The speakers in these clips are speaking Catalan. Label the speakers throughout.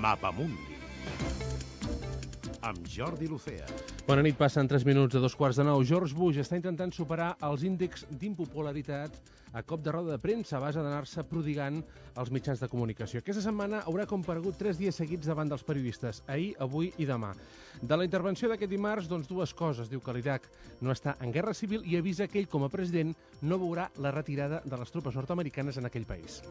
Speaker 1: Mapamundi amb Jordi Lucea.
Speaker 2: Bona nit, passen 3 minuts de 2:15. George Bush està intentant superar els índexs d'impopularitat a cop de roda de premsa a base d'anar-se prodigant als mitjans de comunicació. Aquesta setmana haurà comparegut 3 dies seguits davant dels periodistes, ahir, avui i demà. De la intervenció d'aquest dimarts, doncs dues coses. Diu que l'Iraq no està en guerra civil i avisa que ell, com a president, no veurà la retirada de les tropes nord-americanes en aquell país.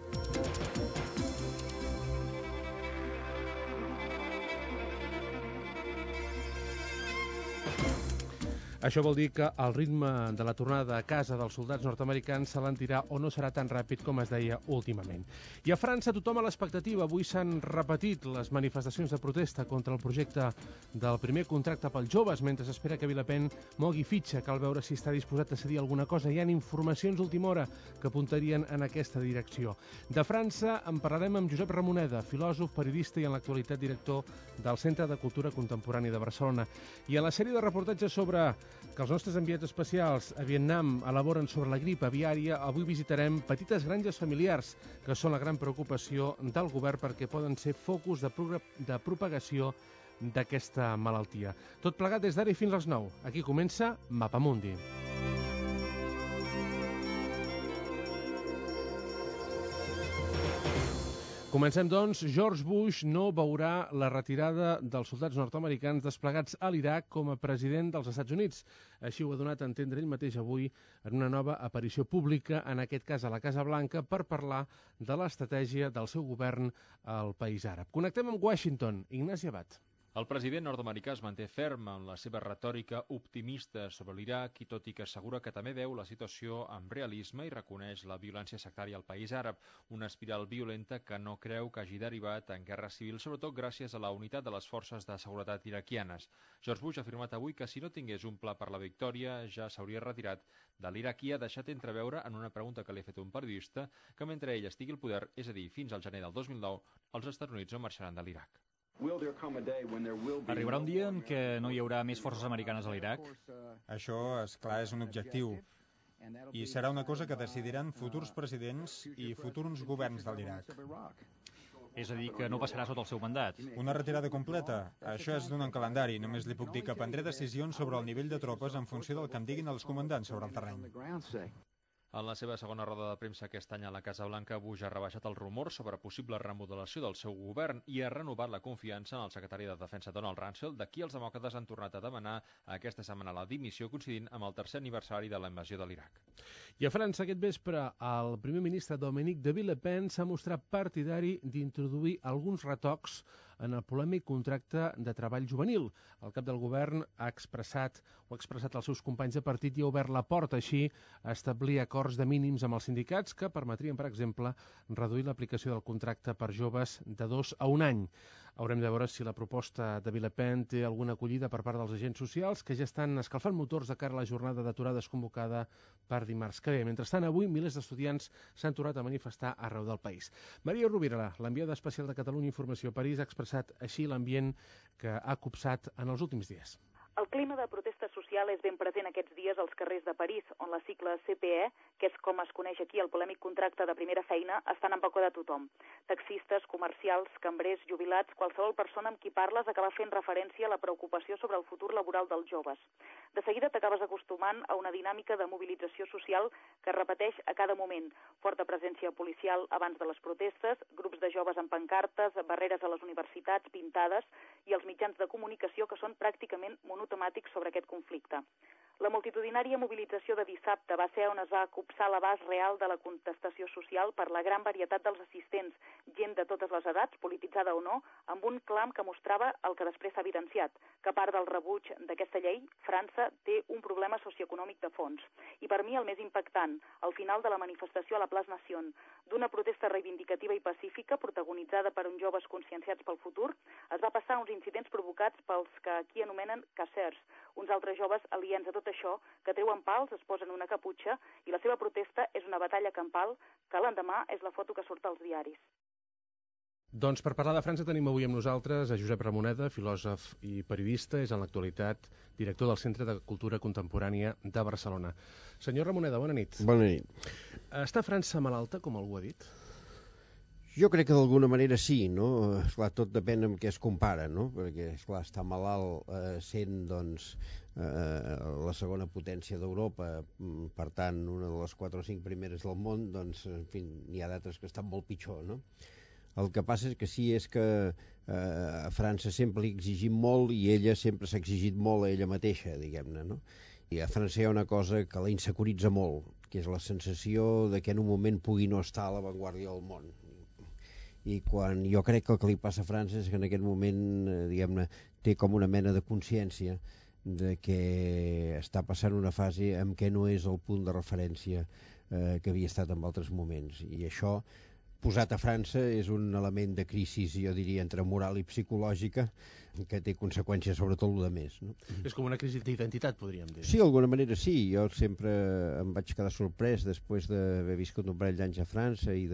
Speaker 2: Això vol dir que el ritme de la tornada a casa dels soldats nord-americans s'alentirà o no serà tan ràpid com es deia últimament. I a França tothom a l'expectativa. Avui s'han repetit les manifestacions de protesta contra el projecte del primer contracte pels joves, mentre s'espera que Le Pen mogui fitxa. Cal veure si està disposat a cedir alguna cosa. Hi ha informacions d'última hora que apuntarien en aquesta direcció. De França en parlarem amb Josep Ramoneda, filòsof, periodista i en l'actualitat director del Centre de Cultura Contemporània de Barcelona. I a la sèrie de reportatges sobre que els nostres enviats especials a Vietnam elaboren sobre la grip aviària, avui visitarem petites granges familiars, que són la gran preocupació del govern perquè poden ser focus de propagació d'aquesta malaltia. Tot plegat des d'ara i fins les 9. Aquí comença Mapamundi. Comencem, doncs. George Bush no veurà la retirada dels soldats nord-americans desplegats a l'Iraq com a president dels Estats Units. Així ho ha donat a entendre ell mateix avui en una nova aparició pública, en aquest cas a la Casa Blanca, per parlar de l'estratègia del seu govern al país àrab. Connectem amb Washington. Ignasi Abad.
Speaker 3: El president nord-americà es manté ferm en la seva retòrica optimista sobre l'Iraq i tot i que assegura que també veu la situació amb realisme i reconeix la violència sectària al país àrab, una espiral violenta que no creu que hagi derivat en guerra civil, sobretot gràcies a la unitat de les forces de seguretat iraquianes. George Bush ha afirmat avui que si no tingués un pla per la victòria ja s'hauria retirat de l'Iraq i ha deixat entreveure en una pregunta que li ha fet un periodista que mentre ell estigui al poder, és a dir, fins al gener del 2009, els Estats Units no marxaran de l'Iraq.
Speaker 4: Arribarà un dia en què no hi haurà més forces americanes a l'Iraq?
Speaker 5: Això, és clar, és un objectiu. I serà una cosa que decidiran futurs presidents i futurs governs de l'Iraq.
Speaker 4: És a dir, que no passarà sota el seu mandat.
Speaker 5: Una retirada completa? Això és d'un calendari. Només li puc dir que prendré decisions sobre el nivell de tropes en funció del que em diguin els comandants sobre el terreny.
Speaker 3: En la seva segona roda de premsa aquest any a la Casa Blanca, Bush ha rebaixat el rumor sobre possible remodelació del seu govern i ha renovat la confiança en el secretari de Defensa Donald Rumsfeld, de qui els demòcrates han tornat a demanar aquesta setmana la dimissió coincidint amb el 3è aniversari de la invasió de l'Iraq.
Speaker 2: I a França aquest vespre el primer ministre Dominique de Villepin s'ha mostrat partidari d'introduir alguns retocs en el polèmic contracte de treball juvenil. El cap del govern ha expressat als seus companys de partit i ha obert la porta així a establir acords de mínims amb els sindicats que permetrien, per exemple, reduir l'aplicació del contracte per joves de 2 a 1 any. Haurem de veure si la proposta de Villepin té alguna acollida per part dels agents socials que ja estan escalfant motors de cara a la jornada d'aturades convocada per dimarts que ve. Mentrestant, avui milers d'estudiants s'han tornat a manifestar arreu del país. Maria Rovira, l'enviada especial de Catalunya Informació a París, ha expressat així l'ambient que ha copsat en els últims dies.
Speaker 6: El clima de protesta social és ben present aquests dies als carrers de París, on la sigla CPE, que és com es coneix aquí el polèmic contracte de primera feina, estan en boca de tothom. Taxistes, comercials, cambrers, jubilats, qualsevol persona amb qui parles acaba fent referència a la preocupació sobre el futur laboral dels joves. De seguida t'acabes acostumant a una dinàmica de mobilització social que es repeteix a cada moment. Forta presència policial abans de les protestes, grups de joves amb pancartes, barreres a les universitats pintades i els mitjans de comunicació que són pràcticament monotemàtics sobre aquest conflicte. La multitudinària mobilització de dissabte va ser on es va copsar l'abast real de la contestació social per la gran varietat dels assistents, gent de totes les edats, polititzada o no, amb un clam que mostrava el que després s'ha evidenciat, que a part del rebuig d'aquesta llei, França té un problema socioeconòmic de fons. I per mi el més impactant, al final de la manifestació a la Place Nation, d'una protesta reivindicativa i pacífica protagonitzada per uns joves conscienciats pel futur, es va passar uns incidents provocats pels que aquí anomenen cassers, uns altres joves aliens a tot això que treuen pals, es posen una caputxa i la seva protesta és una batalla campal que l'endemà és la foto que surt als diaris.
Speaker 2: Doncs per parlar de França tenim avui amb nosaltres a Josep Ramoneda, filòsof i periodista, és en l'actualitat director del Centre de Cultura Contemporània de Barcelona. Senyor Ramoneda, bona nit.
Speaker 7: Bona nit.
Speaker 2: Està França malalta, com algú ha dit?
Speaker 1: Jo crec que d'alguna manera sí, no? Esclar, tot depèn amb què es compara, no? Perquè, esclar, estar malalt sent, doncs, la segona potència d'Europa, per tant, una de les 4 o 5 primeres del món, doncs, en fi, n'hi ha d'altres que estan molt pitjor, no? El que passa és que sí és que a França sempre li exigim molt i ella sempre s'ha exigit molt a ella mateixa, diguem-ne, no? I a França hi ha una cosa que la insecuritza molt, que és la sensació de que en un moment pugui no estar a l'avantguàrdia del món. I quan jo crec que el que li passa a França és que en aquest moment, diguem-ne, té com una mena de consciència de que està passant una fase en què no és el punt de referència que havia estat en altres moments. I això, posat a França, és un element de crisi, jo diria, entre moral i psicològica, que té conseqüències sobre tot el més, no?
Speaker 2: És com una crisi d'identitat, podríem dir.
Speaker 1: Sí, d'alguna manera sí. Jo sempre em vaig quedar sorprès després d'haver viscut un parell d'anys a França i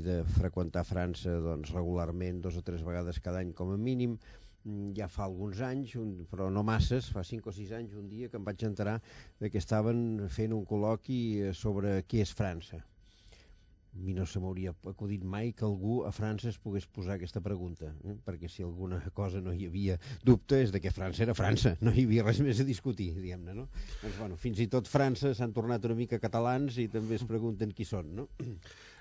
Speaker 1: de freqüentar França, doncs, regularment 2 o 3 vegades cada any com a mínim. Ja fa alguns anys, però no masses, fa 5 o 6 anys, un dia que em vaig enterar que estaven fent un col·loqui sobre què és França. A mi no se m'hauria acudit mai que algú a França es pogués posar aquesta pregunta, perquè si alguna cosa no hi havia dubte és de que França era França, no hi havia res més a discutir, diguem-ne, no? Doncs, bueno, fins i tot França s'han tornat una mica catalans i també es pregunten qui són, no?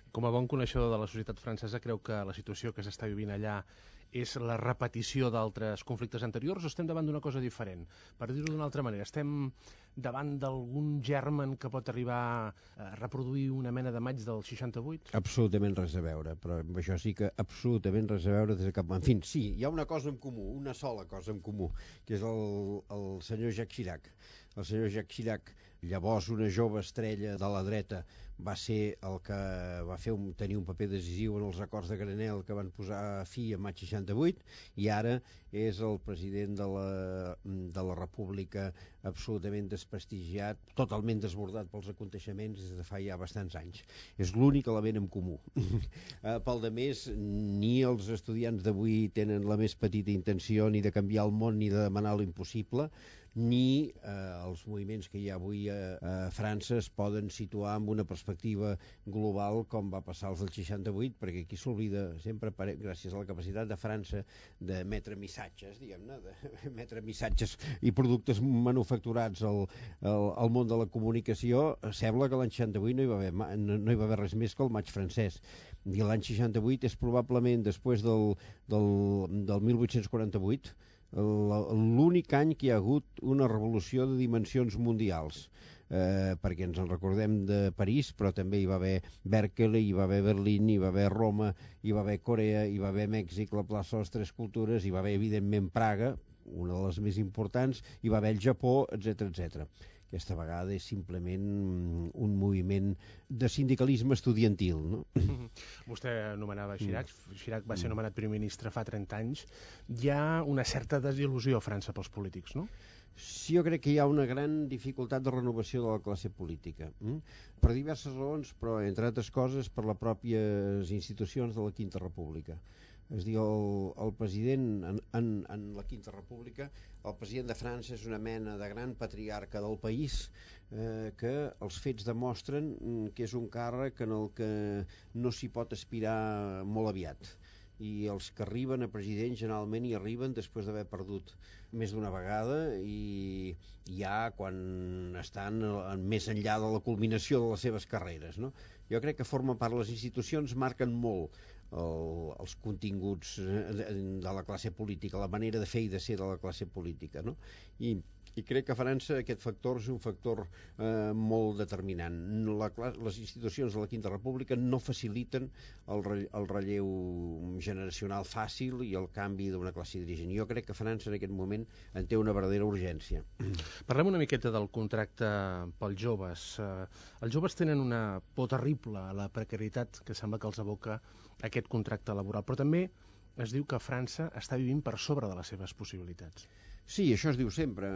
Speaker 2: Com a bon coneixedor de la societat francesa, creu que la situació que s'està vivint allà és la repetició d'altres conflictes anteriors o estem davant d'una cosa diferent? Per dir-ho d'una altra manera, estem davant d'algun germen que pot arribar a reproduir una mena de maig del 68?
Speaker 1: Absolutament res a veure, però amb això sí que absolutament res a veure des de cap... En fi, sí, hi ha una cosa en comú, una sola cosa en comú, que és el senyor Jacques Chirac. El senyor Jacques Chirac, llavors una jove estrella de la dreta, va ser el que va tenir un paper decisiu en els acords de Grenelle que van posar fi a maig 68 i ara és el president de la República absolutament desprestigiat, totalment desbordat pels aconteixements des de fa ja bastants anys. És l'únic element en comú. Pel demés, ni els estudiants d'avui tenen la més petita intenció ni de canviar el món ni de demanar l'impossible, ni els moviments que hi ha avui a França es poden situar amb una perspectiva global com va passar als del 68, perquè aquí s'oblida sempre, gràcies a la capacitat de França d'emetre missatges, diguem-ne, d'emetre missatges i productes manufacturats al món de la comunicació. Sembla que l'any 68 no hi va haver res més que el maig francès. I l'any 68 és probablement, després del 1848, l'únic any que hi ha hagut una revolució de dimensions mundials, perquè ens en recordem de París, però també hi va haver Berkeley, hi va haver Berlín, hi va haver Roma, hi va haver Corea, hi va haver Mèxic, la plaça de les Tres Cultures, hi va haver evidentment Praga, una de les més importants, hi va haver el Japó, etc etc. Aquesta vegada és simplement un moviment de sindicalisme estudiantil, no?
Speaker 2: Vostè anomenava Chirac. Chirac va ser nomenat primer ministre fa 30 anys. Hi ha una certa desil·lusió a França pels polítics, no?
Speaker 1: Sí, jo crec que hi ha una gran dificultat de renovació de la classe política. Per diverses raons, però entre altres coses per les pròpies institucions de la Quinta República. És a dir, el president en la Quinta República, el president de França és una mena de gran patriarca del país que els fets demostren que és un càrrec en el que no s'hi pot aspirar molt aviat. I els que arriben a president generalment hi arriben després d'haver perdut més d'una vegada i ja quan estan més enllà de la culminació de les seves carreres, no? Jo crec que forma part, les institucions marquen molt els continguts de la classe política, la manera de fer i de ser de la classe política, no? I crec que a França aquest factor és un factor molt determinant. Les institucions de la Quinta República no faciliten el relleu generacional fàcil i el canvi d'una classe dirigent. Jo crec que França en aquest moment en té una verdadera urgència.
Speaker 2: Parlem una miqueta del contracte pels joves. Els joves tenen una por terrible a la precarietat que sembla que els aboca aquest contracte laboral, però també es diu que França està vivint per sobre de les seves possibilitats.
Speaker 1: Sí, això es diu sempre.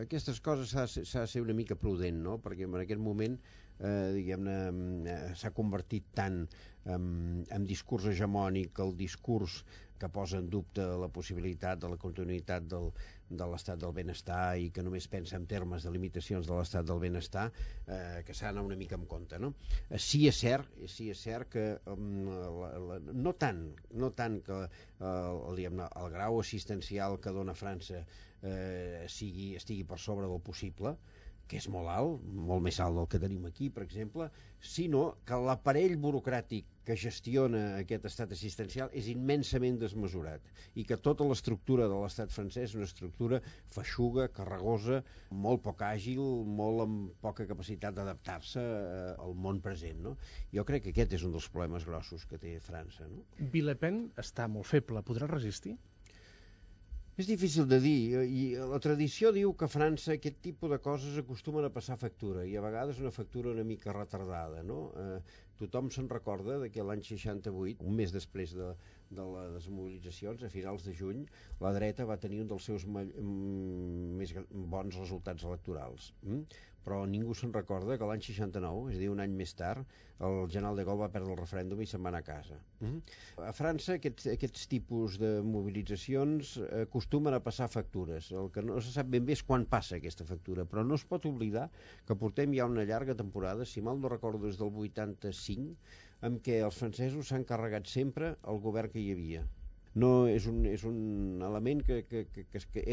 Speaker 1: Aquestes coses s'ha de ser una mica prudent, no? Perquè en aquest moment diguem-ne, s'ha convertit tant en discurs hegemònic, el discurs que posa en dubte la possibilitat de la continuïtat de l'estat del benestar i que només pensa en termes de limitacions de l'estat del benestar, que s'ha d'anar una mica en compte, no? Sí és cert que no tant que el grau assistencial que dona França estigui per sobre del possible, que és molt alt, molt més alt del que tenim aquí, per exemple, sinó que l'aparell burocràtic que gestiona aquest estat assistencial és immensament desmesurat i que tota l'estructura de l'estat francès és una estructura feixuga, carregosa, molt poc àgil, molt amb poca capacitat d'adaptar-se al món present, no? Jo crec que aquest és un dels problemes grossos que té França, no?
Speaker 2: Le Pen està molt feble, podrà resistir?
Speaker 1: És difícil de dir, i la tradició diu que a França aquest tipus de coses acostumen a passar factura, i a vegades una factura una mica retardada, no? Tothom se'n recorda que l'any 68, un mes després de les mobilitzacions, a finals de juny, la dreta va tenir un dels seus més bons resultats electorals. Però ningú se'n recorda que l'any 69, és a dir, un any més tard, el general de Gaulle va perdre el referèndum i se'n va anar a casa. A França aquests tipus de mobilitzacions acostumen a passar factures. El que no se sap ben bé és quan passa aquesta factura, però no es pot oblidar que portem ja una llarga temporada, si mal no recordo des del 85, en què els francesos s'han carregat sempre el govern que hi havia. No, és un element que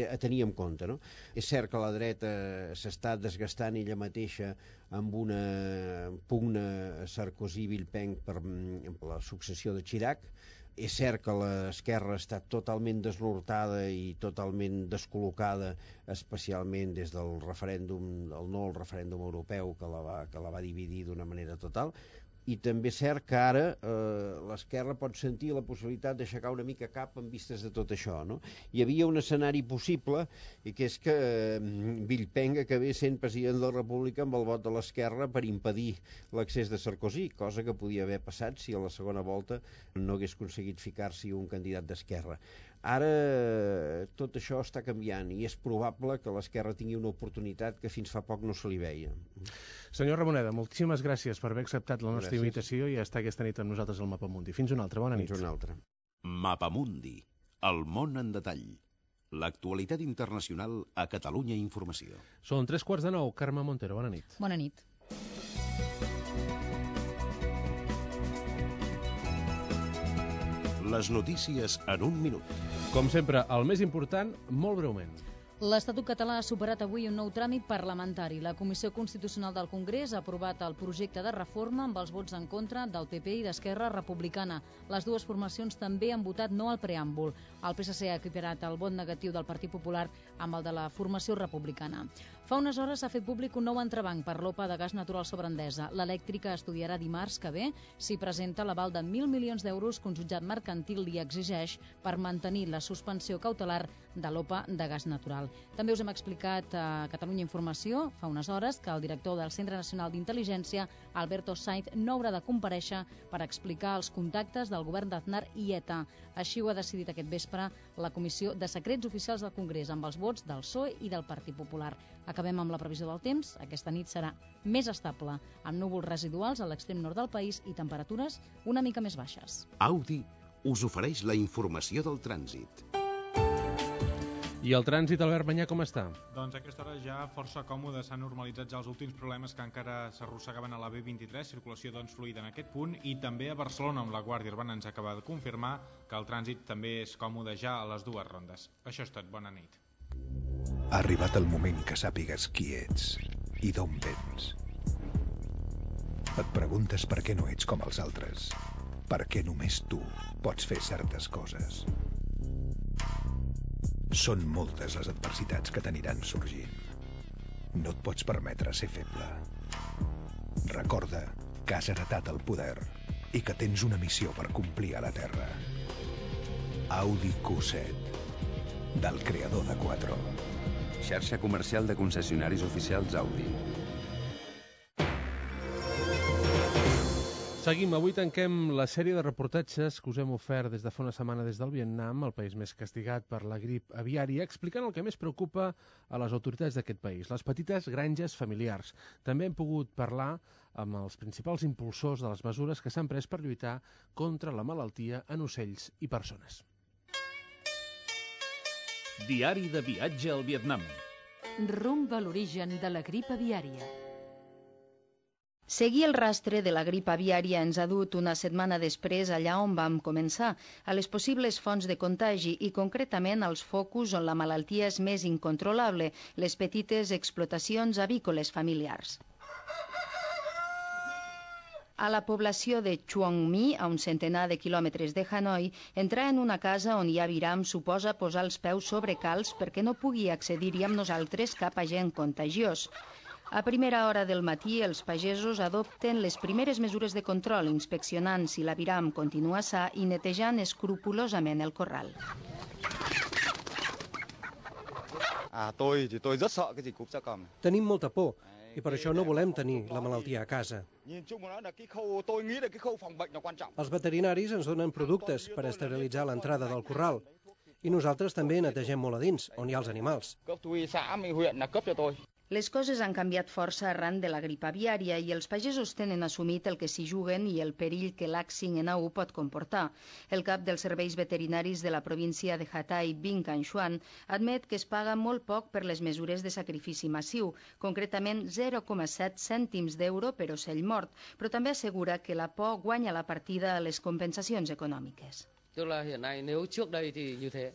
Speaker 1: a tenir en compte, no? És cert que la dreta s'està desgastant ella mateixa amb una pugna Sarkozy-Villepin per la successió de Chirac. És cert que l'esquerra està totalment desnortada i totalment descol·locada, especialment des del referèndum, el referèndum europeu que la va dividir d'una manera total. I també és cert que ara l'esquerra pot sentir la possibilitat d'aixecar una mica cap en vistes de tot això, no? Hi havia un escenari possible, i que és que Villepin acabés sent president de la República amb el vot de l'esquerra per impedir l'accés de Sarkozy, cosa que podia haver passat si a la segona volta no hagués aconseguit ficar-s'hi un candidat d'esquerra. Ara tot això està canviant i és probable que l'esquerra tingui una oportunitat que fins fa poc no se li veia.
Speaker 2: Senyor Ramoneda, moltíssimes gràcies per haver acceptat la nostra invitació i estar aquesta nit amb nosaltres al Mapamundi. Fins una altra, bona nit.
Speaker 1: Fins una altra.
Speaker 7: Mapamundi, el món en detall. L'actualitat internacional a Catalunya Informació.
Speaker 2: Són 3:15, Carme Montero, bona nit.
Speaker 8: Bona nit.
Speaker 7: Les notícies en un minut.
Speaker 2: Com sempre, el més important, molt breument.
Speaker 8: L'Estatut català ha superat avui un nou tràmit parlamentari. La Comissió Constitucional del Congrés ha aprovat el projecte de reforma amb els vots en contra del PP i d'Esquerra Republicana. Les dues formacions també han votat no al preàmbul. El PSC ha equiparat el vot negatiu del Partit Popular amb el de la formació republicana. Fa unes hores s'ha fet públic un nou entrebanc per l'OPA de gas natural sobre Endesa. L'elèctrica estudiarà dimarts que ve si presenta l'aval de 1.000 milions d'euros que un jutjat mercantil li exigeix per mantenir la suspensió cautelar de l'OPA de gas natural. També us hem explicat a Catalunya Informació fa unes hores que el director del Centre Nacional d'Intel·ligència, Alberto Sainz, no haurà de comparèixer per explicar els contactes del govern d'Aznar i ETA. Així ho ha decidit aquest vespre la Comissió de Secrets Oficials del Congrés amb els vots del PSOE i del Partit Popular. Acabem amb la previsió del temps. Aquesta nit serà més estable, amb núvols residuals a l'extrem nord del país i temperatures una mica més baixes.
Speaker 7: Audi us ofereix la informació del trànsit.
Speaker 2: I el trànsit, Albert Banyà, com està?
Speaker 5: Doncs a aquesta hora ja força còmode, s'han normalitzat ja els últims problemes que encara s'arrossegaven a la B23, circulació doncs fluida en aquest punt, i també a Barcelona, on la Guàrdia Urbana ens acaba de confirmar que el trànsit també és còmode ja a les dues rondes. Això és tot, bona nit.
Speaker 9: Ha arribat el moment que sàpigues qui ets i d'on vens. Et preguntes per què no ets com els altres, per què només tu pots fer certes coses. Són moltes les adversitats que t'aniran sorgint. No et pots permetre ser feble. Recorda que has heretat el poder i que tens una missió per complir a la Terra. Audi Q7, del creador de Quattro.
Speaker 10: Xarxa comercial de concessionaris oficials Audi.
Speaker 2: Seguim, avui tanquem la sèrie de reportatges que us hem ofert des de fa una setmana des del Vietnam, el país més castigat per la grip aviària, explicant el que més preocupa a les autoritats d'aquest país, les petites granges familiars. També hem pogut parlar amb els principals impulsors de les mesures que s'han pres per lluitar contra la malaltia en ocells i persones.
Speaker 11: Diari de viatge al Vietnam.
Speaker 12: Rumb a l'origen de la grip aviària.
Speaker 13: Seguir el rastre de la grip aviària ens ha dut una setmana després allà on vam començar, a les possibles fonts de contagi i concretament als focus on la malaltia és més incontrolable, les petites explotacions avícoles familiars. A la població de Chuong Mi, a un centenar de quilòmetres de Hanoi, entrar en una casa on hi ha aviram suposa posar els peus sobre calç perquè no pugui accedir-hi amb nosaltres cap agent contagiós. A primera hora del matí, els pagesos adopten les primeres mesures de control, inspeccionant si l'aviram continua sa i netejant escrupolosament el corral.
Speaker 14: Tenim molta por i per això no volem tenir la malaltia a casa. Els veterinaris ens donen productes per esterilitzar l'entrada del corral i nosaltres també netegem molt a dins, on hi ha els animals.
Speaker 13: Les coses han canviat força arran de la grip aviària i els pagesos tenen assumit el que s'hi juguen i el perill que l'H5N1 pot comportar. El cap dels serveis veterinaris de la província de Hatay, Binh Can Xuan, admet que es paga molt poc per les mesures de sacrifici massiu, concretament 0,7 cèntims d'euro per ocell mort, però també assegura que la por guanya la partida a les compensacions econòmiques.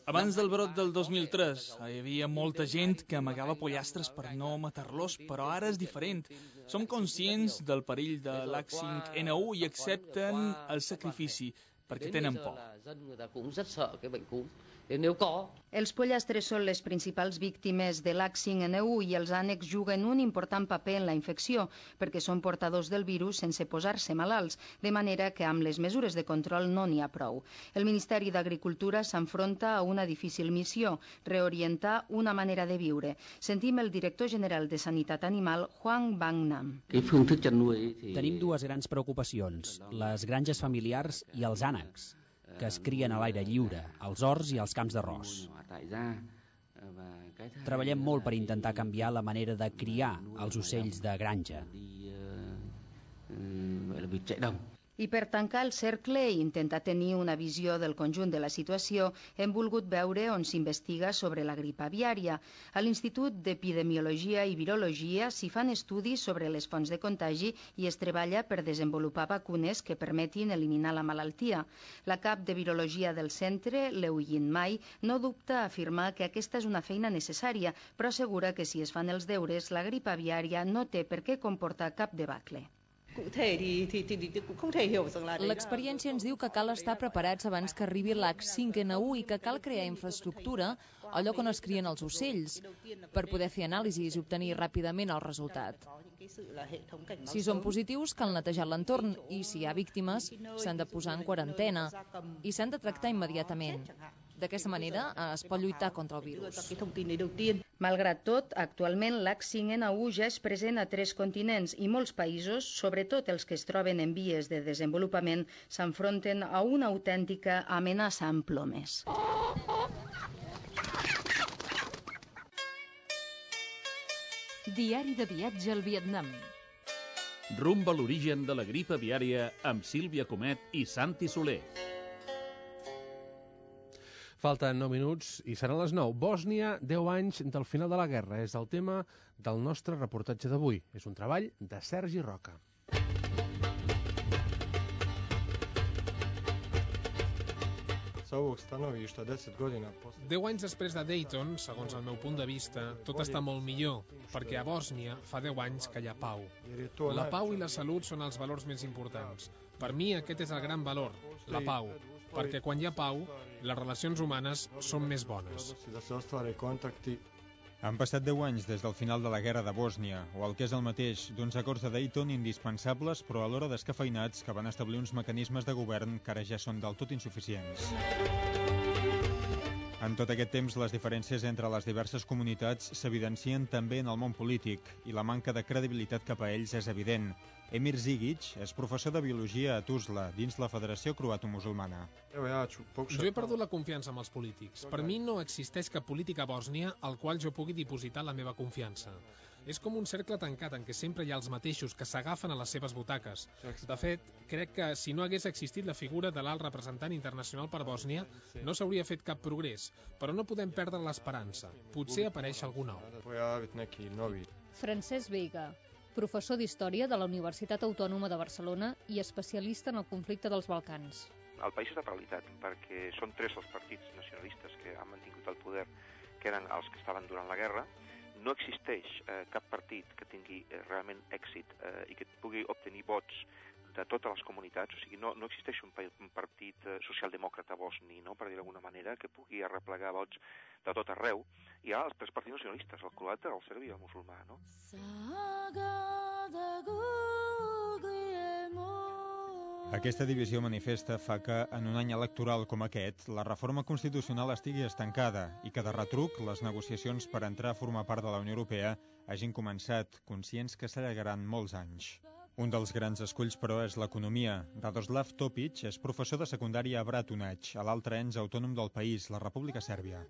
Speaker 15: Abans del brot del 2003 hi havia molta gent que amagava pollastres per no matar-los, però ara és diferent. Som conscients del perill de l'H5N1 i accepten el sacrifici perquè tenen por.
Speaker 13: Els pollastres són les principals víctimes de l'H5N1 i els ànecs juguen un important paper en la infecció perquè són portadors del virus sense posar-se malalts, de manera que amb les mesures de control no n'hi ha prou. El Ministeri d'Agricultura s'enfronta a una difícil missió, reorientar una manera de viure. Sentim el director general de Sanitat Animal, Hoang Bang Nam.
Speaker 16: Tenim dues grans preocupacions, les granges familiars i els ànecs, que es crien a l'aire lliure, als horts i als camps d'arròs. Treballem molt per intentar canviar la manera de criar els ocells de granja.
Speaker 13: I per tancar el cercle i intentar tenir una visió del conjunt de la situació, hem volgut veure on s'investiga sobre la grip aviària. A l'Institut d'Epidemiologia i Virologia s'hi fan estudis sobre les fonts de contagi i es treballa per desenvolupar vacunes que permetin eliminar la malaltia. La cap de Virologia del centre, Leu Yin Mai, no dubta a afirmar que aquesta és una feina necessària, però assegura que si es fan els deures, la grip aviària no té per què comportar cap debacle.
Speaker 8: L'experiència ens diu que cal estar preparats abans que arribi l'H5N1 i que cal crear infraestructura al lloc on es crien els ocells per poder fer anàlisis i obtenir ràpidament el resultat. Si són positius, cal netejar l'entorn i si hi ha víctimes, s'han de posar en quarantena i s'han de tractar immediatament. D'aquesta manera es pot lluitar contra el virus.
Speaker 13: Malgrat tot, actualment l'H5N1 ja és present a 3 continents i molts països, sobretot els que es troben en vies de desenvolupament, s'enfronten a una autèntica amenaça amb plomes.
Speaker 12: Diari de viatge al Vietnam.
Speaker 11: Rumb a l'origen de la grip aviària amb Sílvia Comet i Santi Soler.
Speaker 2: Falten 9 minuts i seran les 9. Bòsnia, 10 anys del final de la guerra. És el tema del nostre reportatge d'avui. És un treball de Sergi Roca.
Speaker 17: Deu anys després de Dayton, segons el meu punt de vista, tot està molt millor, perquè a Bòsnia fa 10 anys que hi ha pau. La pau i la salut són els valors més importants. Per mi aquest és el gran valor, la pau, perquè quan hi ha pau, les relacions humanes són més bones.
Speaker 5: Han passat 10 anys des del final de la guerra de Bòsnia, o el que és el mateix, d'uns acords de Dayton indispensables però alhora descafeinats que van establir uns mecanismes de govern que ara ja són del tot insuficients. En tot aquest temps, les diferències entre les diverses comunitats s'evidencien també en el món polític i la manca de credibilitat cap a ells és evident. Emir Zigic és professor de biologia a Tuzla, dins la Federació Croato-Musulmana.
Speaker 17: Jo he perdut la confiança en els polítics. Per mi no existeix cap polític a Bòsnia al qual jo pugui dipositar la meva confiança. És com un cercle tancat en què sempre hi ha els mateixos que s'agafen a les seves butaques. De fet, crec que si no hagués existit la figura de l'alt representant internacional per Bòsnia, no s'hauria fet cap progrés, però no podem perdre l'esperança. Potser apareix algú nou.
Speaker 18: Francesc Veiga, professor d'Història de la Universitat Autònoma de Barcelona i especialista en el conflicte dels Balcans.
Speaker 19: El país és de realitat, perquè són 3 els partits nacionalistes que han mantingut el poder, que eren els que estaven durant la guerra. No existeix cap partit que tingui realment èxit i que pugui obtenir vots de totes les comunitats, o sigui, no existeix un partit socialdemòcrata bosni, no? Per dir d'alguna manera, que pugui arreplegar vots de tot arreu. Hi ha els 3 partits nacionalistes, el croata, el serbi i el musulmà, no?
Speaker 5: Aquesta divisió manifesta fa que, en un any electoral com aquest, la reforma constitucional estigui estancada i que, de retruc, les negociacions per entrar a formar part de la Unió Europea hagin començat, conscients que s'allargaran molts anys. Un dels grans esculls, però, és l'economia. Radoslav Topic és professor de secundària a Bratunac, a l'altre ens autònom del país, la República Sèrbia.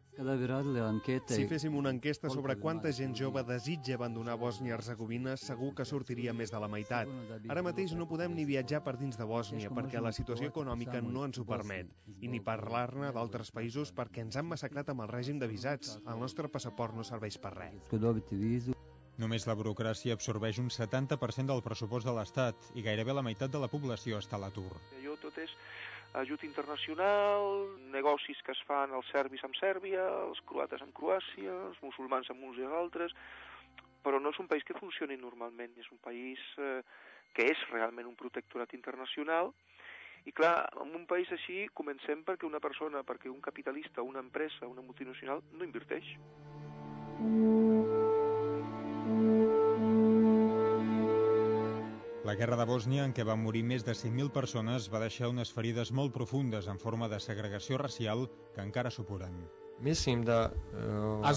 Speaker 20: Si féssim una enquesta sobre quanta gent jove desitja abandonar Bòsnia-Hercegovina, segur que sortiria més de la meitat. Ara mateix no podem ni viatjar per dins de Bòsnia perquè la situació econòmica no ens ho permet, i ni parlar-ne d'altres països perquè ens han massacrat amb el règim de visats. El nostre passaport no serveix per res.
Speaker 5: Només la burocràcia absorbeix un 70% del pressupost de l'Estat i gairebé la meitat de la població està a l'atur.
Speaker 19: Allò tot és ajut internacional, negocis que es fan els serbis amb Sèrbia, els croates amb Croàcia, els musulmans amb uns i els altres, però no és un país que funcioni normalment, és un país que és realment un protectorat internacional. I clar, en un país així comencem perquè una persona, perquè un capitalista, una empresa, una multinacional no inverteix.
Speaker 5: La guerra de Bòsnia, en què van morir més de 100.000 persones, va deixar unes ferides molt profundes en forma de segregació racial que encara supuren.
Speaker 17: Es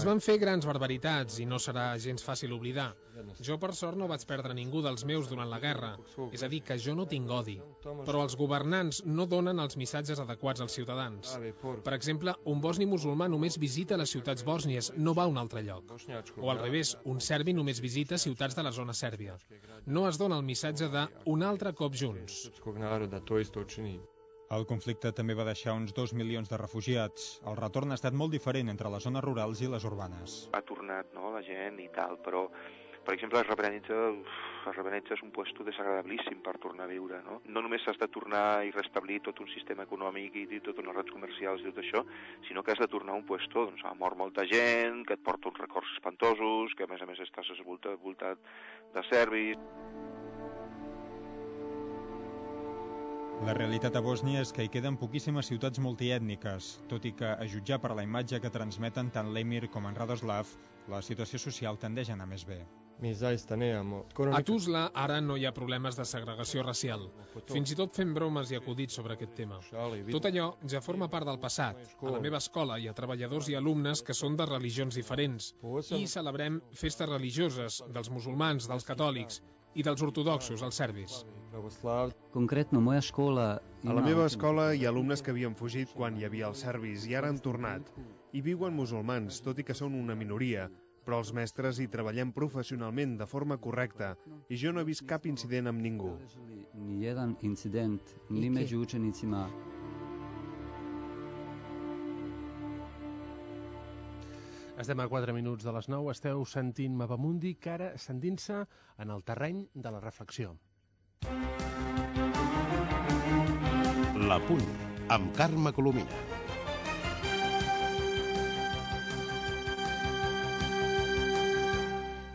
Speaker 17: van fer grans barbaritats i no serà gens fàcil oblidar. Jo, per sort, no vaig perdre ningú dels meus durant la guerra. És a dir, que jo no tinc odi. Però els governants no donen els missatges adequats als ciutadans. Per exemple, un bosni musulmà només visita les ciutats bòsnies, no va a un altre lloc. O al revés, un serbi només visita ciutats de la zona sèrbia. No es dona el missatge de un altre cop junts.
Speaker 5: El conflicte també va deixar uns 2 milions de refugiats. El retorn ha estat molt diferent entre les zones rurals i les urbanes.
Speaker 19: Ha tornat, no, la gent i tal, però, per exemple, Srebrenica és un puesto desagradabilíssim per tornar a viure, no? No només has de tornar i restablir tot un sistema econòmic i totes les redes comercials i tot això, sinó que has de tornar a un puesto on ha mort molta gent, que et porta uns records espantosos, que a més estàs voltat de serbis.
Speaker 5: La realitat a Bòsnia és que hi queden poquíssimes ciutats multiètniques, tot i que, a jutjar per la imatge que transmeten tant l'Emir com en Radoslav, la situació social tendeix a anar més bé.
Speaker 17: A Tuzla ara no hi ha problemes de segregació racial. Fins i tot fem bromes i acudits sobre aquest tema. Tot allò ja forma part del passat. A la meva escola hi ha treballadors i alumnes que són de religions diferents i celebrem festes religioses dels musulmans, dels catòlics i dels ortodoxos, els serbis.
Speaker 20: A la meva escola hi ha alumnes que havien fugit quan hi havia els serbis i ara han tornat. Hi viuen musulmans, tot i que són una minoria, però els mestres hi treballem professionalment de forma correcta i jo no he vist cap incident amb ningú.
Speaker 2: Estem a 4 minuts de les 9, esteu sentint Mapamundi, que ara sentint-se en el terreny de la reflexió.
Speaker 7: La Punt, amb Carme Colomina.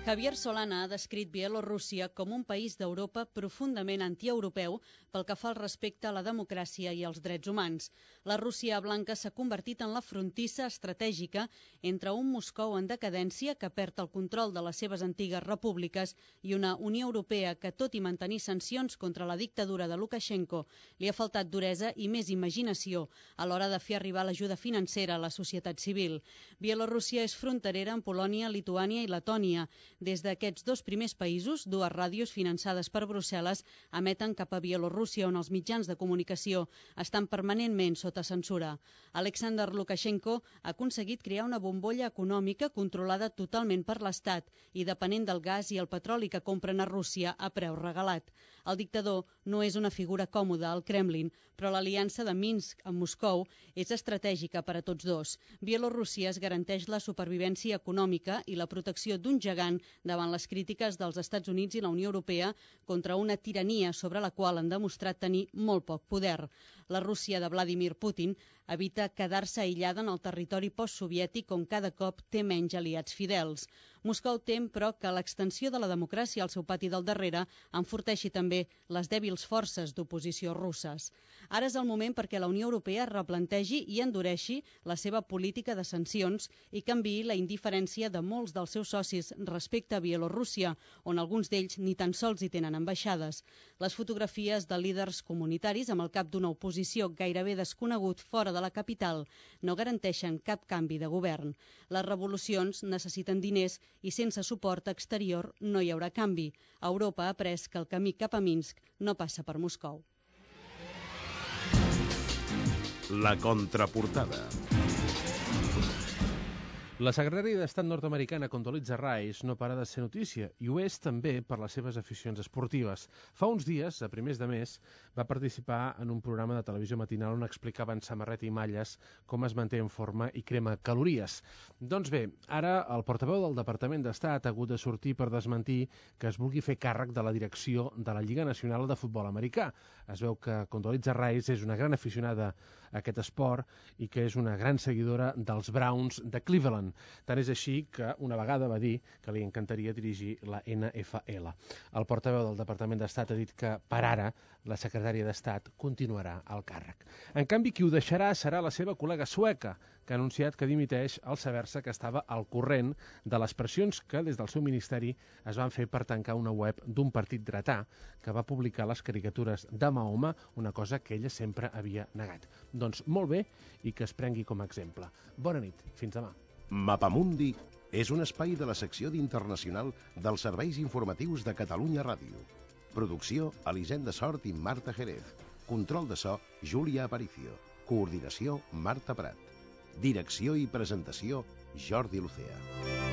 Speaker 8: Javier Solana ha descrit Bielorússia com un país d'Europa profundament antieuropeu pel que fa al respecte a la democràcia i als drets humans. La Rússia blanca s'ha convertit en la frontissa estratègica entre un Moscou en decadència que perd el control de les seves antigues repúbliques i una Unió Europea que, tot i mantenir sancions contra la dictadura de Lukashenko, li ha faltat duresa i més imaginació a l'hora de fer arribar l'ajuda financera a la societat civil. Bielorússia és fronterera amb Polònia, Lituània i Letònia.
Speaker 21: Des d'aquests dos primers països, dues ràdios finançades per Brussel·les emeten cap a Bielorússia, on els mitjans de comunicació estan permanentment sota censura. Alexander Lukashenko ha aconseguit crear una bombolla econòmica controlada totalment per l'Estat i depenent del gas i el petroli que compren a Rússia a preu regalat. El dictador no és una figura còmoda al Kremlin, però l'aliança de Minsk amb Moscou és estratègica per a tots dos. Bielorússia es garanteix la supervivència econòmica i la protecció d'un gegant davant les crítiques dels Estats Units i la Unió Europea contra una tirania sobre la qual han demostrat tenir molt poc poder. La Rússia de Vladimir Putin evita quedar-se aïllada en el territori postsoviètic on cada cop té menys aliats fidels. Moscou tem, però, que l'extensió de la democràcia al seu pati del darrere enforteixi també les dèbils forces d'oposició russes. Ara és el moment perquè la Unió Europea replantegi i endureixi la seva política de sancions i canviï la indiferència de molts dels seus socis respecte a Bielorússia, on alguns d'ells ni tan sols hi tenen ambaixades. Les fotografies de líders comunitaris amb el cap d'una oposició gairebé desconegut fora de la capital no garanteixen cap canvi de govern. Les revolucions necessiten diners i sense suport exterior no hi haurà canvi. Europa ha après que el camí cap a Minsk no passa per Moscou.
Speaker 7: La contraportada.
Speaker 2: La secretària d'Estat nord-americana Condoleezza Rice no para de ser notícia i ho és també per les seves aficions esportives. Fa uns dies, a primers de mes, va participar en un programa de televisió matinal on explicava en samarreta i malles com es manté en forma i crema calories. Doncs bé, ara el portaveu del Departament d'Estat ha hagut de sortir per desmentir que es vulgui fer càrrec de la direcció de la Lliga Nacional de Futbol Americà. Es veu que Condoleezza Rice és una gran aficionada a aquest esport i que és una gran seguidora dels Browns de Cleveland. Tant és així que una vegada va dir que li encantaria dirigir la NFL. El portaveu del Departament d'Estat ha dit que, per ara, la secretària d'Estat continuarà al càrrec. En canvi, qui ho deixarà serà la seva col·lega sueca, que ha anunciat que dimiteix al saber-se que estava al corrent de les pressions que des del seu ministeri es van fer per tancar una web d'un partit dretà que va publicar les caricatures de Mahoma, una cosa que ella sempre havia negat. Doncs molt bé, i que es prengui com a exemple. Bona nit, fins demà.
Speaker 7: Mapamundi és un espai de la secció d'Internacional dels serveis informatius de Catalunya Ràdio. Producció, Elisenda Sort i Marta Jerez. Control de so, Júlia Aparicio. Coordinació, Marta Prat. Direcció i presentació, Jordi Lucea.